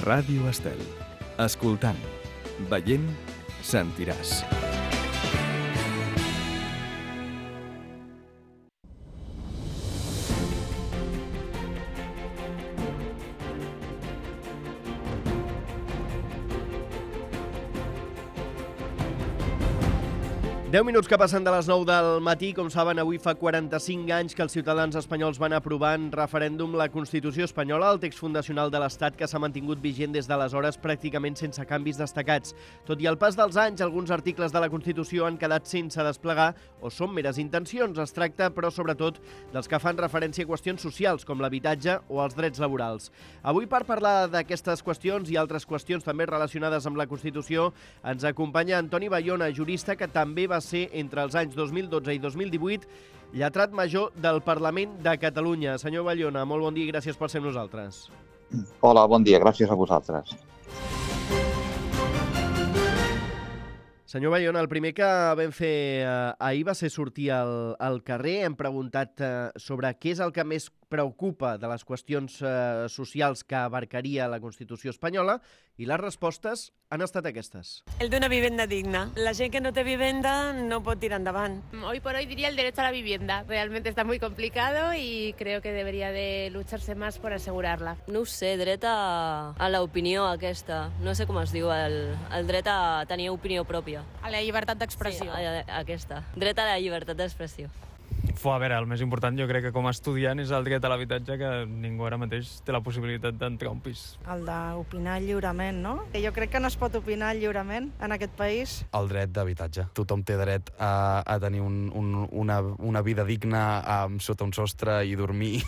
Ràdio Estel. Escoltant, veient, sentiràs. Deu minuts que passen de les 9 del matí. Com saben, avui fa 45 anys que els ciutadans espanyols van aprovar en referèndum la Constitució espanyola, el text fundacional de l'Estat que s'ha mantingut vigent des d'aleshores pràcticament sense canvis destacats. Tot i el pas dels anys, alguns articles de la Constitució han quedat sense desplegar o són meres intencions. Es tracta, però, sobretot, dels que fan referència a qüestions socials, com l'habitatge o els drets laborals. Avui, per parlar d'aquestes qüestions i altres qüestions també relacionades amb la Constitució, ens acompanya Antoni Bayona, jurista que també va ser, entre els anys 2012 i 2018, lletrat major del Parlament de Catalunya. Senyor Bayona, molt bon dia i gràcies per ser amb nosaltres. Hola, bon dia, gràcies a vosaltres. Senyor Bayona, el primer que vam fer ahir va ser sortir al carrer. Hem preguntat sobre què és el que més preocupa de les qüestions socials que abarcaria la Constitució espanyola i les respostes han estat aquestes. El d'una vivenda digna. La gent que no té vivenda no pot tirar endavant. Hoy por hoy diría el derecho a la vivienda. Realmente está muy complicado y creo que debería de lucharse más por asegurarla. No ho sé, dret a l'opinió aquesta. No sé com es diu, el dret a tenir opinió pròpia. A la llibertat d'expressió. Sí, aquesta. Dret a la llibertat d'expressió. A veure, el més important jo crec que com a estudiant és el dret a l'habitatge, que ningú ara mateix té la possibilitat d'entrar a un pis. El d'opinar lliurement, no? Jo crec que no es pot opinar lliurement en aquest país. El dret d'habitatge. Tothom té dret a tenir una vida digna sota un sostre i dormir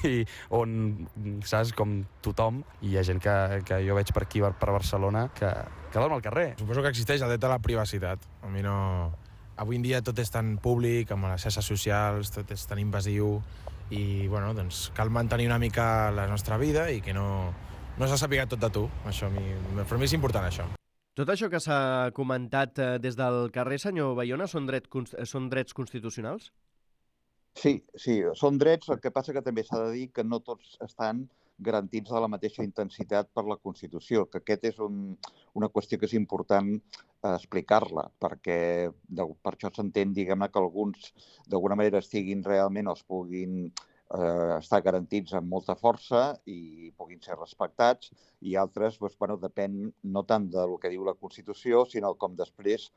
on, saps, com tothom. I hi ha gent que jo veig per aquí, per Barcelona, que dorm al carrer. Suposo que existeix el dret a la privacitat. A mi no... Avui en dia tot és tan públic, amb les xarxes socials, tot és tan invasiu i, bueno, doncs cal mantenir una mica la nostra vida i que no se sàpiga tot de tu. Això per mi és important, això. Tot això que s'ha comentat des del carrer, senyor Bayona, són drets constitucionals? Sí, són drets, el que passa que també s'ha de dir que no tots estan garantits de la mateixa intensitat per la Constitució, que aquest és una qüestió que és important explicar-la, perquè per això s'entén, diguem-ne, que alguns d'alguna manera estiguin realment o es puguin estar garantits amb molta força i puguin ser respectats, i altres, bueno, depèn no tant del que diu la Constitució, sinó com després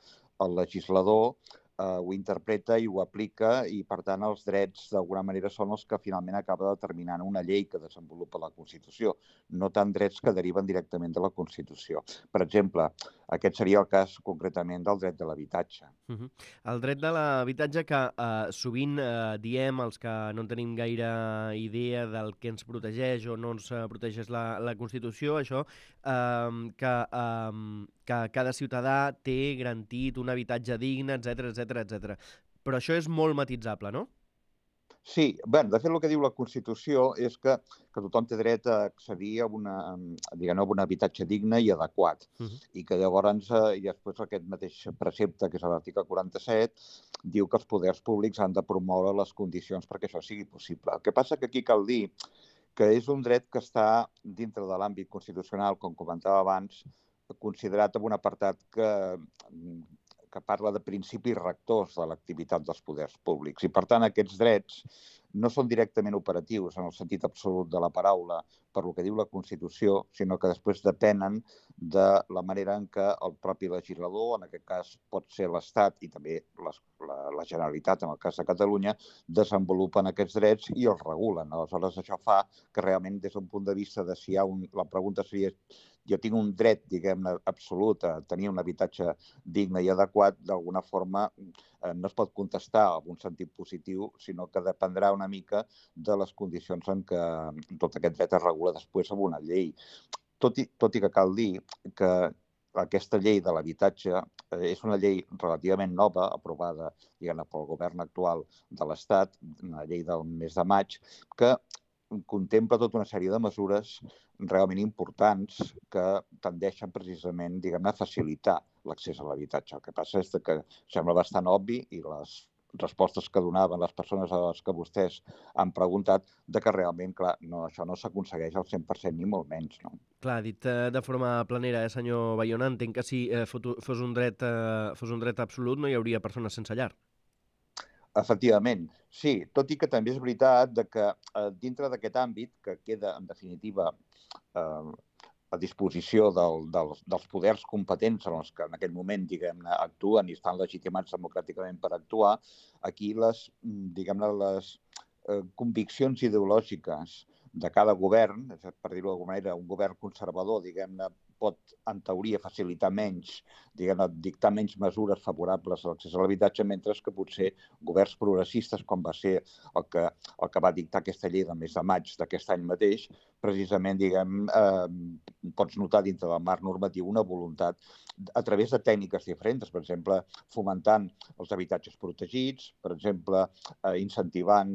el legislador ho interpreta i ho aplica i, per tant, els drets d'alguna manera són els que finalment acaba determinant una llei que desenvolupa la Constitució, no tant drets que deriven directament de la Constitució. Per exemple, aquest seria el cas concretament del dret de l'habitatge. El dret de l'habitatge que sovint diem, els que no tenim gaire idea del que ens protegeix o no ens protegeix la Constitució, això, que cada ciutadà té garantit un habitatge digne, etc. Però això és molt matitzable, no? Sí, bé, de fet el que diu la Constitució és que tothom té dret a accedir a un habitatge digne i adequat. I que llavors, i després aquest mateix precepte, que és l'article 47, diu que els poders públics han de promoure les condicions perquè això sigui possible. El que passa que aquí cal dir que és un dret que està dintre de l'àmbit constitucional, com comentava abans, considerat en un apartat que parla de principis rectors de l'activitat dels poders públics. I, per tant, aquests drets no són directament operatius en el sentit absolut de la paraula per el que diu la Constitució, sinó que després depenen de la manera en què el propi legislador, en aquest cas pot ser l'Estat i també la Generalitat, en el cas de Catalunya, desenvolupen aquests drets i els regulen. Aleshores, això fa que realment, des d'un punt de vista de si hi ha la pregunta seria jo tinc un dret, diguem-ne, absolut a tenir un habitatge digne i adequat, d'alguna forma no es pot contestar en un sentit positiu, sinó que dependrà una mica de les condicions en què tot aquest dret es regula després amb una llei. Tot i que cal dir que aquesta llei de l'habitatge és una llei relativament nova, aprovada, diguem-ne, pel govern actual de l'Estat, una llei del mes de maig, que contempla tota una sèrie de mesures realment importants que tendeixen precisament, diguem-ne, a facilitar l'accés a l'habitatge. El que passa és que sembla bastant obvi i respostes que donaven les persones a les que vostès han preguntat, de que realment, clar, això no s'aconsegueix al 100% ni molt menys, no? Clar, dit de forma planera, senyor Bayona, entenc que si fos un dret absolut no hi hauria persones sense llar. Efectivament, sí, tot i que també és veritat que dintre d'aquest àmbit, que queda, en definitiva, a disposició dels poders competents en els que en aquell moment, diguem-ne, actuen i estan legitimats democràticament per actuar, aquí les conviccions ideològiques de cada govern, per dir-ho d'alguna manera, un govern conservador, diguem-ne, pot, en teoria, facilitar menys, dictar menys mesures favorables a l'accés a l'habitatge, mentre que potser governs progressistes, com va ser el que va dictar aquesta llei del mes de maig d'aquest any mateix, precisament, pots notar dintre del marc normatiu una voluntat a través de tècniques diferents, per exemple, fomentant els habitatges protegits, per exemple, incentivant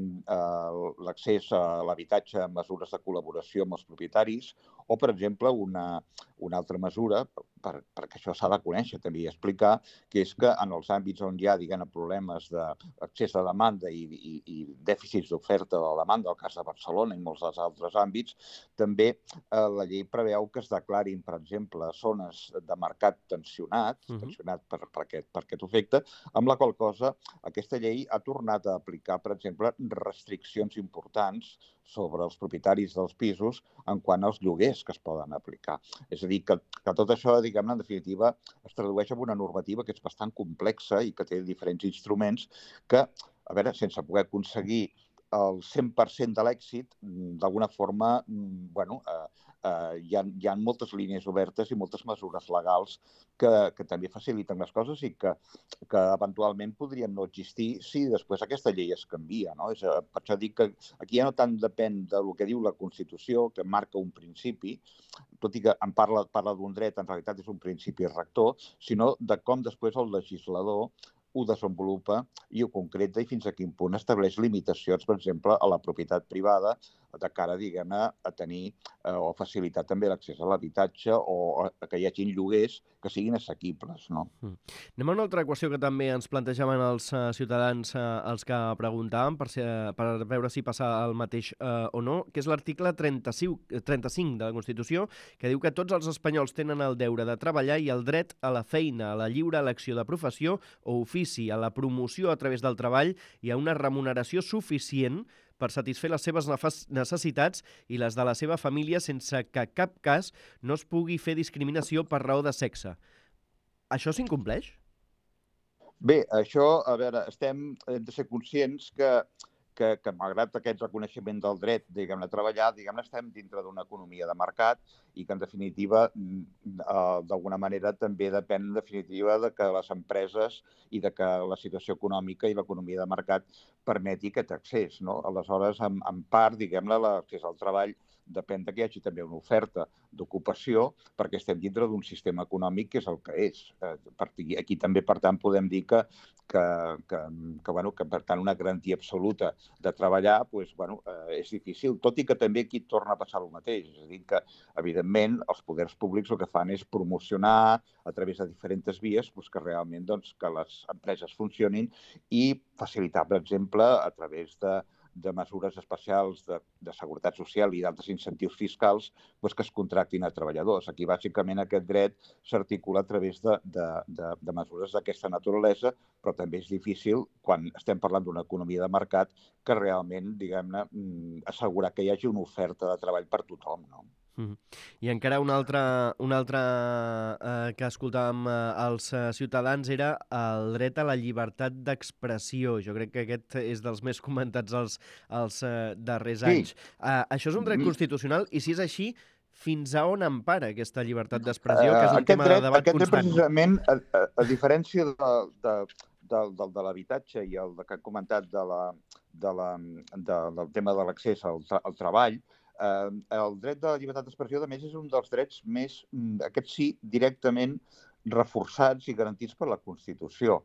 l'accés a l'habitatge amb mesures de col·laboració amb els propietaris, o, per exemple, una altra mesura, perquè això s'ha de conèixer també i explicar, que és que en els àmbits on hi ha, problemes d'accés a demanda i dèficits d'oferta de la demanda, el cas de Barcelona i molts dels altres àmbits, també la llei preveu que es declarin, per exemple, zones de mercat tensionat per aquest efecte, amb la qual cosa aquesta llei ha tornat a aplicar, per exemple, restriccions importants sobre els propietaris dels pisos en quant als lloguers que es poden aplicar. És a dir, que tot això, en definitiva, es tradueix en una normativa que és bastant complexa i que té diferents instruments que, a veure, sense poder aconseguir el 100% de l'èxit, d'alguna forma, hi ha moltes línies obertes i moltes mesures legals que també faciliten les coses i que eventualment podrien no existir si després aquesta llei es canvia, no? Per això dic que aquí ja no tant depèn del que diu la Constitució, que marca un principi, tot i que en parla d'un dret, en realitat és un principi rector, sinó de com després el legislador ho desenvolupa i ho concreta i fins a quin punt estableix limitacions, per exemple, a la propietat privada de cara, a tenir o facilitar també l'accés a l'habitatge o que hi hagin lloguers que siguin assequibles, no? Anem a una altra qüestió que també ens plantejaven els ciutadans els que preguntàvem per veure si passa el mateix o no, que és l'article 35 de la Constitució, que diu que tots els espanyols tenen el deure de treballar i el dret a la feina, a la lliure elecció de professió o ofici, a la promoció a través del treball i a una remuneració suficient per satisfer les seves necessitats i les de la seva família sense que cap cas no es pugui fer discriminació per raó de sexe. Això s'incompleix? Bé, això, a veure, hem de ser conscients que malgrat aquest reconeixement del dret, a treballar, estem dintre d'una economia de mercat i que, en definitiva, d'alguna manera també depèn, en definitiva, de que les empreses i de que la situació econòmica i l'economia de mercat permeti aquest accés, no? Aleshores, en part, l'accés al treball depèn que hi hagi també una oferta d'ocupació perquè estem dintre d'un sistema econòmic que és el que és. Aquí també, per tant, podem dir que per tant, una garantia absoluta de treballar és difícil, tot i que també aquí torna a passar el mateix. És a dir, que, evidentment, els poders públics el que fan és promocionar a través de diferents vies que realment que les empreses funcionin i facilitar, per exemple, a través de mesures especials de seguretat social i d'altres incentius fiscals que es contractin a treballadors. Aquí, bàsicament, aquest dret s'articula a través de mesures d'aquesta naturalesa, però també és difícil, quan estem parlant d'una economia de mercat, que realment, assegurar que hi hagi una oferta de treball per tothom, no? I encara una altra que escoltàvem als ciutadans era el dret a la llibertat d'expressió. Jo crec que aquest és dels més comentats els darrers anys. Això és un dret constitucional i, si és així, fins a on empara aquesta llibertat d'expressió, que és un tema de debat constant? Aquest dret, precisament, a diferència de l'habitatge i el que he comentat del tema de l'accés al treball, el dret de la llibertat d'expressió, a més, és un dels drets més, aquest sí, directament reforçats i garantits per la Constitució.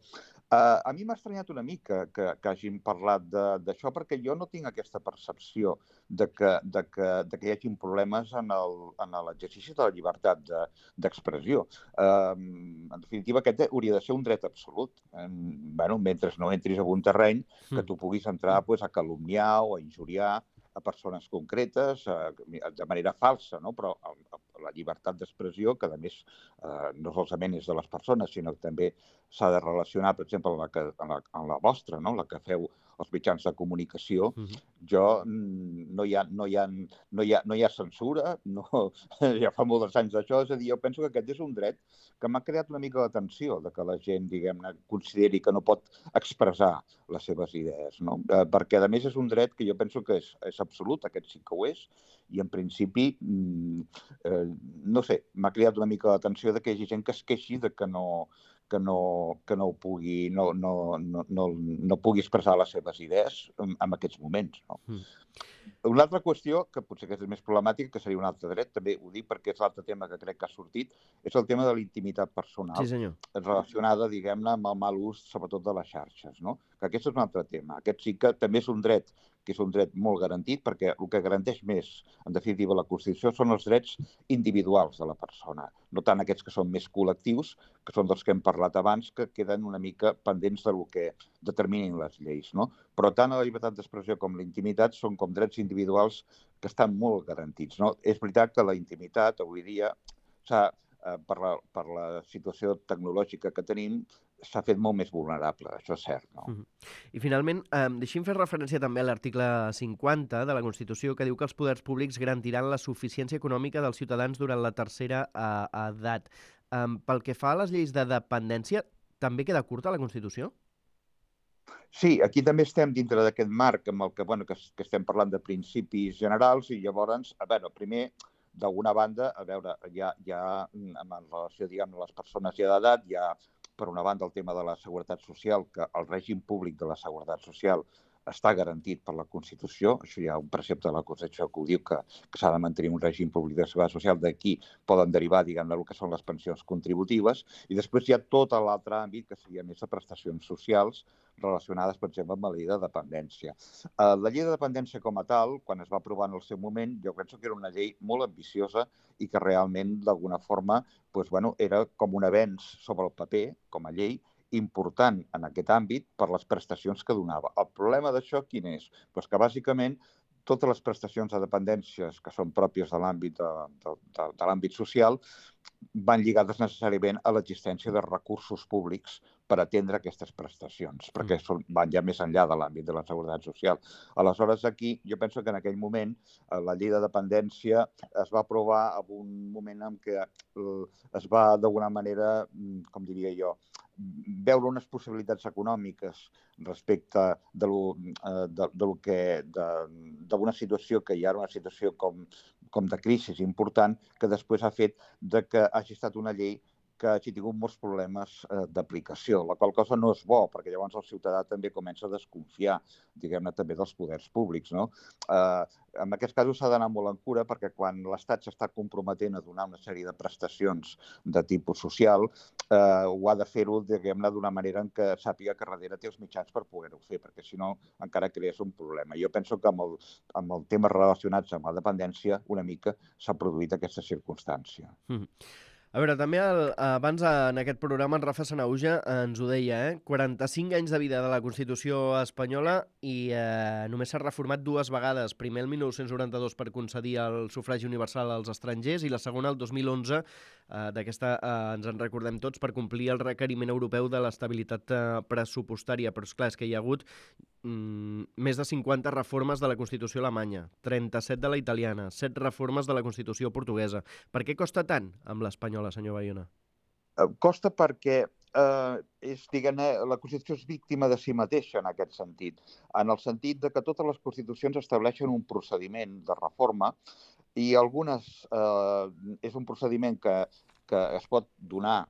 A mi m'ha estranyat una mica que hagin parlat d'això, perquè jo no tinc aquesta percepció de que hi hagin problemes en l'exercici de la llibertat d'expressió. En definitiva, aquest hauria de ser un dret absolut. Mentre no entris en un terreny que tu puguis entrar a calumniar o a injuriar a persones concretes de manera falsa, no? Però la llibertat d'expressió, que a més no solament és de les persones, sinó que també s'ha de relacionar, per exemple, amb la vostra, no? La que feu els mitjans de comunicació, no hi ha censura, ja fa molts anys d'això, és a dir, jo penso que aquest és un dret que m'ha creat una mica d'atenció, que la gent, diguem-ne, consideri que no pot expressar les seves idees, no? Perquè, a més, és un dret que jo penso que és absolut, aquest sí que ho és, i en principi, no sé, m'ha creat una mica d'atenció que hi hagi gent que es queixi de que no pugui expressar les seves idees en aquests moments. No? Una altra qüestió, que potser que és més problemàtica, que seria un altre dret, també ho dic perquè és l'altre tema que crec que ha sortit, és el tema de la intimitat personal, relacionada, diguem-ne, amb el mal ús, sobretot de les xarxes. No? Que aquest és un altre tema. Aquest sí que també és un dret que és un dret molt garantit, perquè el que garanteix més, en definitiva, la Constitució són els drets individuals de la persona, no tant aquests que són més col·lectius, que són dels que hem parlat abans, que queden una mica pendents del que determinin les lleis. No? Però tant la llibertat d'expressió com la intimitat són com drets individuals que estan molt garantits. No? És veritat que la intimitat, avui dia, per la situació tecnològica que tenim, s'ha fet molt més vulnerable, això és cert. No? I finalment, deixi'm fer referència també a l'article 50 de la Constitució, que diu que els poders públics garantiran la suficiència econòmica dels ciutadans durant la tercera edat. Pel que fa a les lleis de dependència, també queda curta la Constitució? Sí, aquí també estem dintre d'aquest marc amb el que estem parlant de principis generals i llavors, primer, d'alguna banda, hi ha en relació, diguem, a les persones ja d'edat, hi ha, per una banda, el tema de la seguretat social, que el règim públic de la seguretat social està garantit per la Constitució. Això hi ha un precepte de la Constitució que ho diu, que s'ha de mantenir un règim públic de seguretat social. D'aquí poden derivar, diguem-ne, el que són les pensions contributives. I després hi ha tot l'altre àmbit, que seria més de prestacions socials relacionades, per exemple, amb la llei de dependència. La llei de dependència com a tal, quan es va aprovar en el seu moment, jo penso que era una llei molt ambiciosa i que realment, d'alguna forma, era com un avenç sobre el paper, com a llei, important en aquest àmbit per les prestacions que donava. El problema d'això quin és? Que bàsicament totes les prestacions de dependències que són pròpies de l'àmbit social van lligades necessàriament a l'existència de recursos públics per atendre aquestes prestacions, perquè van ja més enllà de l'àmbit de la seguretat social. Aleshores, aquí, jo penso que en aquell moment la llei de dependència es va aprovar en un moment en què es va, d'alguna manera, com diria jo, veure unes possibilitats econòmiques respecte d'una situació que ja era una situació com de crisi important, que després ha fet que hagi estat una llei que hagi tingut molts problemes d'aplicació, la qual cosa no és bo, perquè llavors el ciutadà també comença a desconfiar, diguem-ne, també dels poders públics. No? En aquests casos s'ha d'anar molt en cura, perquè quan l'Estat s'està comprometent a donar una sèrie de prestacions de tipus social, ho ha de fer-ho, diguem-ne, d'una manera en què sàpiga que darrere té els mitjans per poder-ho fer, perquè si no encara crees un problema. Jo penso que amb els temes relacionats amb la dependència una mica s'ha produït aquesta circumstància. A veure, també abans en aquest programa en Rafa Sanahuja ens ho deia, 45 anys de vida de la Constitució espanyola i només s'ha reformat 2 vegades. Primer el 1992 per concedir el sufragi universal als estrangers i la segona el 2011, d'aquesta ens en recordem tots, per complir el requeriment europeu de l'estabilitat pressupostària. Però és clar, és que hi ha hagut més de 50 reformes de la Constitució alemanya, 37 de la italiana, 7 reformes de la Constitució portuguesa. Per què costa tant amb l'espanyola, senyor Bayona? Costa perquè la Constitució és víctima de si mateixa en aquest sentit, en el sentit que totes les Constitucions estableixen un procediment de reforma i algunes és un procediment que es pot donar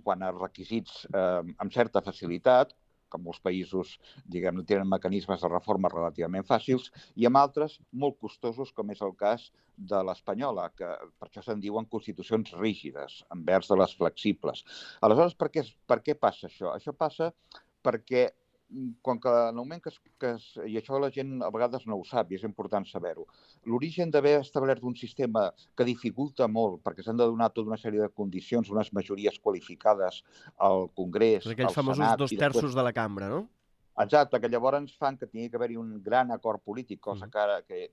quant a requisits amb certa facilitat, que molts països, diguem-ne, tenen mecanismes de reforma relativament fàcils, i amb altres molt costosos, com és el cas de l'espanyola, que per això se'n diuen constitucions rígides, envers de les flexibles. Aleshores, per què passa això? Això passa perquè quan que en el moment i això la gent a vegades no ho sap i és important saber-ho, l'origen d'haver establert un sistema que dificulta molt perquè s'han de donar tota una sèrie de condicions, unes majories qualificades al Congrés, al Senat... Aquells famosos 2/3 de la cambra, no? Exacte, que llavors fan que tingui que haver-hi un gran acord polític, cosa que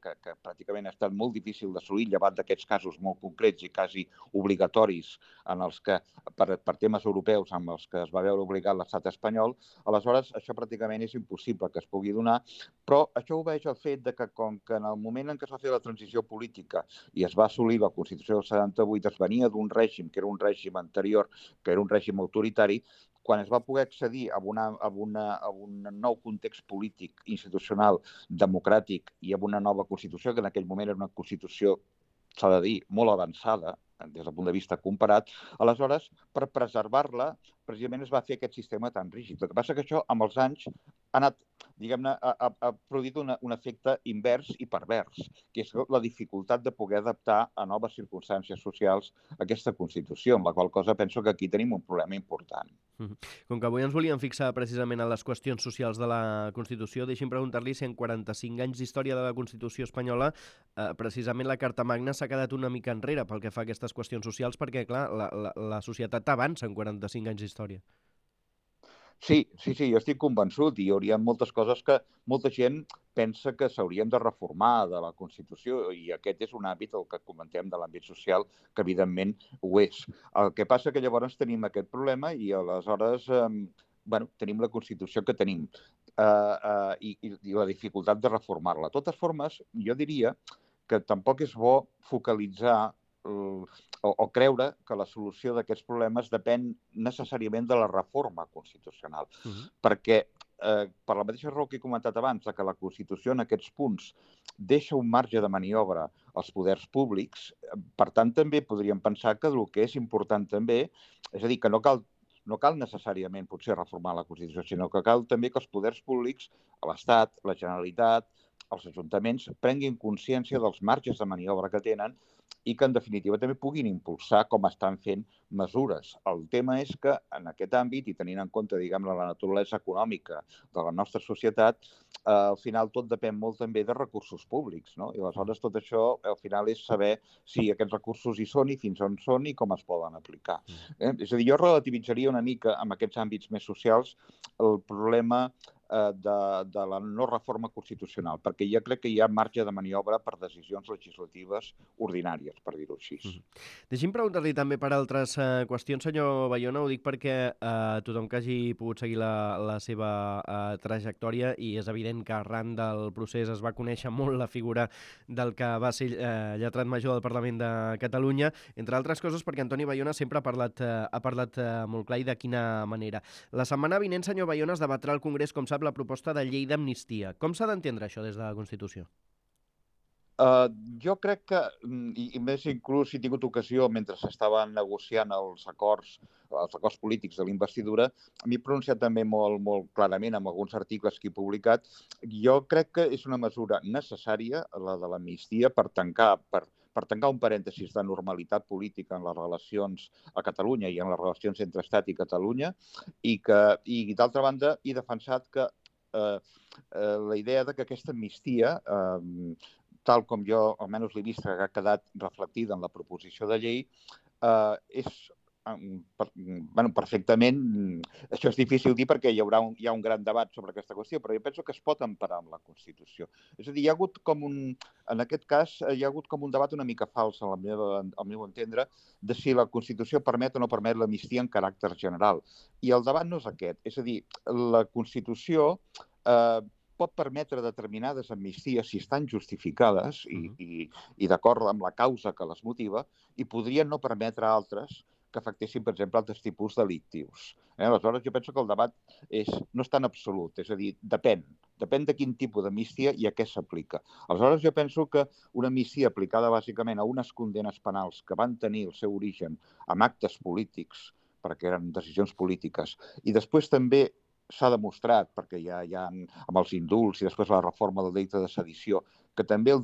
pràcticament ha estat molt difícil d'assolir, llevat d'aquests casos molt concrets i quasi obligatoris en els que, per temes europeus amb els que es va veure obligat l'estat espanyol. Aleshores, això pràcticament és impossible que es pugui donar, però això obeeix al fet de que, com que en el moment en què es va fer la transició política i es va assolir la Constitució del 78, es venia d'un règim, que era un règim anterior, que era un règim autoritari, quan es va poder accedir a un nou context polític, institucional, democràtic i a una nova Constitució, que en aquell moment era una Constitució, s'ha de dir, molt avançada, des del punt de vista comparat, aleshores, per preservar-la, precisament es va fer aquest sistema tan rígid. El que passa que això, amb els anys, ha anat, diguem-ne, ha produït un efecte invers i pervers, que és la dificultat de poder adaptar a noves circumstàncies socials aquesta Constitució, amb la qual cosa penso que aquí tenim un problema important. Com que avui ens volíem fixar precisament en les qüestions socials de la Constitució, deixi'm preguntar-li si en 45 anys d'història de la Constitució espanyola precisament la Carta Magna s'ha quedat una mica enrere pel que fa a aquestes qüestions socials, perquè, clar, la societat avança en 45 anys d'història. Sí, jo estic convençut i hi hauria moltes coses que molta gent pensa que s'haurien de reformar de la Constitució i aquest és un àmbit, el que comentem de l'àmbit social, que evidentment ho és. El que passa que llavors tenim aquest problema i aleshores tenim la Constitució que tenim i la dificultat de reformar-la. De totes formes, jo diria que tampoc és bo focalitzar o creure que la solució d'aquests problemes depèn necessàriament de la reforma constitucional. Perquè, per la mateixa raó que he comentat abans, que la Constitució en aquests punts deixa un marge de maniobra als poders públics, per tant, també podríem pensar que el que és important també, és a dir, que no cal necessàriament potser reformar la Constitució, sinó que cal també que els poders públics, l'Estat, la Generalitat, els ajuntaments, prenguin consciència dels marges de maniobra que tenen i que, en definitiva, també puguin impulsar com estan fent mesures. El tema és que, en aquest àmbit, i tenint en compte, diguem-ne, la naturalesa econòmica de la nostra societat, al final tot depèn molt també de recursos públics, no? I aleshores tot això, al final, és saber si aquests recursos hi són i fins on són i com es poden aplicar. És a dir, jo relativitzaria una mica, en aquests àmbits més socials, el problema de la no reforma constitucional, perquè jo crec que hi ha marge de maniobra per decisions legislatives ordinàries, per dir-ho així. Deixi'm preguntar-li també per altres qüestions, senyor Bayona, ho dic perquè tothom que hagi pogut seguir la seva trajectòria, i és evident que arran del procés es va conèixer molt la figura del que va ser lletrat major del Parlament de Catalunya, entre altres coses perquè Antoni Bayona sempre ha parlat molt clar i de quina manera. La setmana vinent, senyor Bayona, es debatrà al Congrés, com sap, la proposta de llei d'amnistia. Com s'ha d'entendre això des de la Constitució? Jo crec que, i més inclús si he tingut ocasió, mentre s'estaven negociant els acords polítics de la investidura, m'he pronunciat també molt clarament amb alguns articles que he publicat. Jo crec que és una mesura necessària, la de l'amnistia, per tancar un parèntesis de normalitat política en les relacions a Catalunya i en les relacions entre Estat i Catalunya, i d'altra banda he defensat que la idea que aquesta amnistia, tal com jo almenys l'he vist que ha quedat reflectida en la proposició de llei, és perfectament... Això és difícil dir perquè hi ha un gran debat sobre aquesta qüestió, però jo penso que es pot emparar amb la Constitució. És a dir, en aquest cas, hi ha hagut com un debat una mica fals, al meu entendre, de si la Constitució permet o no permet l'amnistia en caràcter general. I el debat no és aquest. És a dir, la Constitució pot permetre determinades amnisties si estan justificades i d'acord amb la causa que les motiva, i podrien no permetre altres que afectessin, per exemple, altres tipus delictius. Aleshores, jo penso que el debat no és tan absolut, és a dir, depèn de quin tipus d'amnistia i a què s'aplica. Aleshores, jo penso que una amnistia aplicada bàsicament a unes condenes penals que van tenir el seu origen amb actes polítics, perquè eren decisions polítiques, i després també s'ha demostrat, perquè ja hi ha amb els indults i després la reforma del delicte de sedició, que també el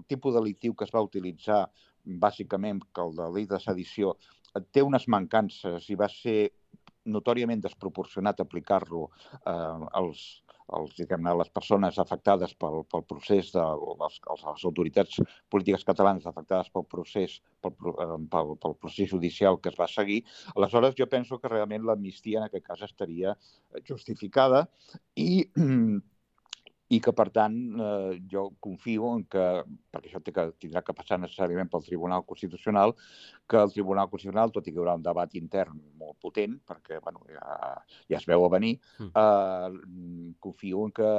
tipus delictiu que es va utilitzar bàsicament, que el delicte de sedició té unes mancances i va ser notòriament desproporcionat aplicar-lo a les persones afectades pel procés, les autoritats polítiques catalanes afectades pel procés judicial que es va seguir. Aleshores, jo penso que realment l'amnistia en aquest cas estaria justificada i que, per tant, jo confio en que, perquè això tindrà que passar necessàriament pel Tribunal Constitucional, que el Tribunal Constitucional, tot i que hi haurà un debat intern molt potent, perquè ja es veu a venir, confio en que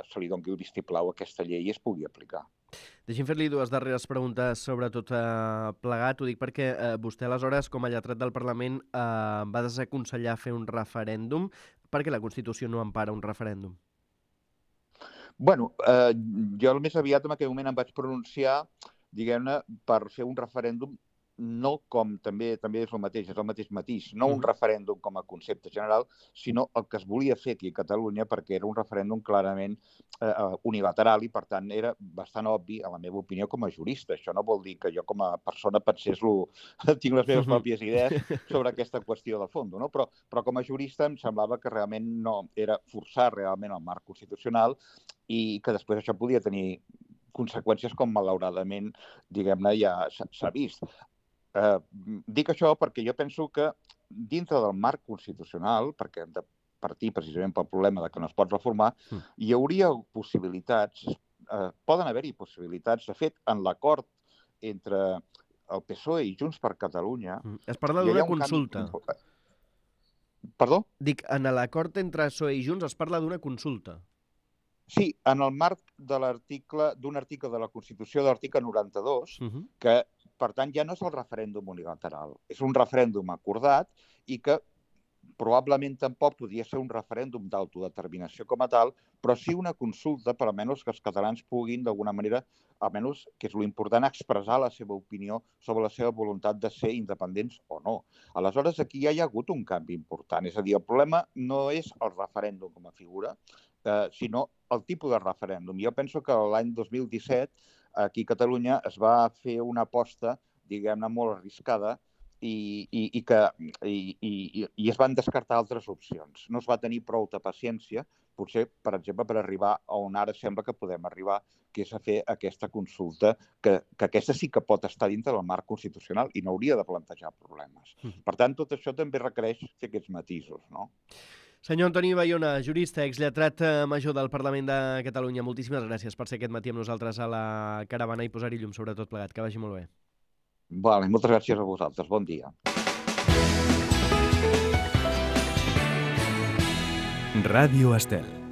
se li doni el vistiplau a aquesta llei i es pugui aplicar. Deixi'm fer-li dues darreres preguntes sobre tot plegat. Ho dic perquè vostè, aleshores, com a lletrat del Parlament, va desaconsellar fer un referèndum. Per què la Constitució no empara un referèndum? Bueno, jo més aviat en aquell moment em vaig pronunciar, diguem-ne, per fer un referèndum, no com també és el mateix matís, no un referèndum com a concepte general, sinó el que es volia fer aquí a Catalunya, perquè era un referèndum clarament unilateral i, per tant, era bastant obvi, a la meva opinió, com a jurista. Això no vol dir que jo com a persona tinc les meves pròpies idees sobre aquesta qüestió de fons, no? Però com a jurista em semblava que realment no era forçar realment el marc constitucional i que després això podia tenir conseqüències com malauradament, diguem-ne, ja s'ha vist. Dic això perquè jo penso que dintre del marc constitucional, perquè hem de partir precisament pel problema de que no es pot reformar, hi hauria possibilitats, poden haver-hi possibilitats. De fet, en l'acord entre el PSOE i Junts per Catalunya... Es parla d'una consulta. Perdó? Dic, en l'acord entre PSOE i Junts es parla d'una consulta. Sí, en el marc d'un article de la Constitució, de l'article 92, que, per tant, ja no és el referèndum unilateral. És un referèndum acordat i que probablement tampoc podria ser un referèndum d'autodeterminació com a tal, però sí una consulta per almenys que els catalans puguin, d'alguna manera, almenys, que és l'important, expressar la seva opinió sobre la seva voluntat de ser independents o no. Aleshores, aquí ja hi ha hagut un canvi important. És a dir, el problema no és el referèndum com a figura, sinó el tipus de referèndum. Jo penso que l'any 2017 aquí a Catalunya es va fer una aposta, diguem-ne, molt arriscada i es van descartar altres opcions. No es va tenir prou de paciència, potser, per exemple, per arribar a on ara sembla que podem arribar, que és a fer aquesta consulta, que aquesta sí que pot estar dintre del marc constitucional i no hauria de plantejar problemes. Per tant, tot això també requereix fer aquests matisos, no? Senyor Antoni Bayona, jurista, exlletrat major del Parlament de Catalunya, moltíssimes gràcies per ser aquest matí amb nosaltres a la caravana i posar-hi llum sobre tot plegat. Que vagi molt bé. Vale, moltes gràcies a vosaltres. Bon dia. Ràdio Estel.